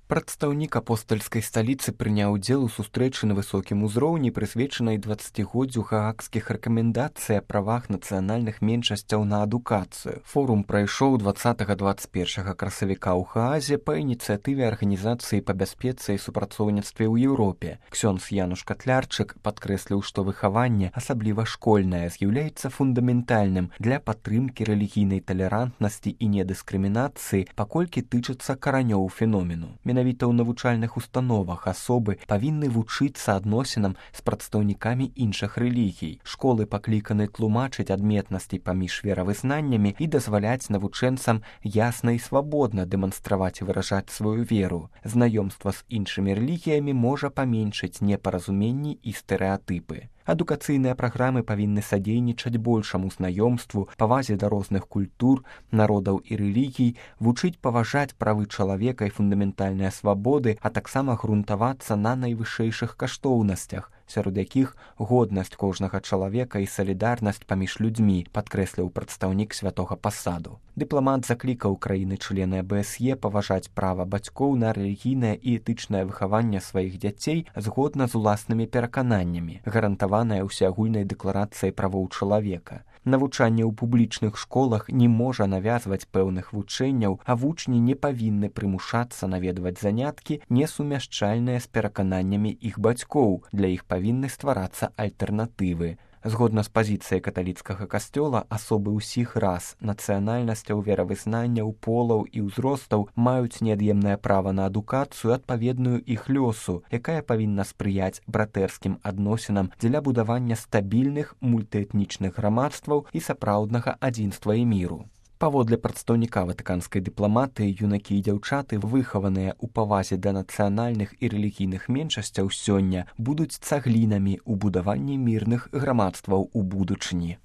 Прадстаўнік апостальскай сталіцы прыняў удзел у сустрэчы на высокім узроўні, прысвечанай 20годдзю гаагскіх рэкамендацый о правах нацыянальных меншасцяў на адукацыю. Форум прайшоў 20-21 красавіка ў Гаазе па ініцыятыве Арганізацыі па бяспецы і супрацоўніцтве ў Еўропе. Ксёндз Януш Катлярчык падкрэсліў, што выхаванне, асабліва школьнае, з'яўляецца фундаментальным для падтрымкі рэлігійнай талерантнасці і недыскрымінацыі, паколькі тычыцца каранёў феномену. Менавіта ў навучальных установах асобы павінны вучыцца адносінам з прадстаўнікамі іншых рэлігій. Школы пакліканы тлумачыць адметнасці паміж веравызнаннямі і дазваляць навучэнцам ясна і свабодна дэманстраваць і выражаць сваю веру. Знаёмства з іншымі рэлігіямі можа паменшыць непаразуменні і стэрэатыпы. Адукацыйныя праграмы павінны садзейнічаць большаму знаёмству, павазе да розных культур, народаў і рэлігій, вучыць паважаць правы чалавека і фундаментальныя свабоды, а таксама грунтавацца на найвышэйшых каштоўнасцях, сярод якіх годнасць кожнага чалавека і салідарнасць паміж людзьмі, падкрэсліў прадстаўнік святога пасаду. Дыпламат заклікаў краіны-члены АБСЕ паважаць права бацькоў на рэлігійнае і этычнае выхаванне сваіх дзяцей згодна з уласнымі перакананнямі, гарантаванае ўсеагульнай дэкларацыяй правоў чалавека. Навучанне ў публічных школах не можа навязваць пэўных вучэнняў, а вучні не павінны прымушацца наведваць заняткі, несумяшчальныя з перакананнямі іх бацькоў. Для іх павінны стварацца альтэрнатывы. Згодна з пазіцыяй каталіцкага касцёла, асобы ўсіх рас, нацыянальнасцяў, веравызнанняў, полаў і ўзростаў маюць неад'емнае права на адукацыю, адпаведную іх лёсу, якая павінна спрыяць братэрскім адносінам дзеля будавання стабільных мультыэтнічных грамадстваў і сапраўднага адзінства і міру. Паводле прадстаўніка ватыканскай дыпламатыі, юнакі і дзяўчаты, выхаваныя ў павазе да нацыянальных і рэлігійных меншасцяў сёння, будуць цаглінамі ў будаванні мірных грамадстваў у будучыні.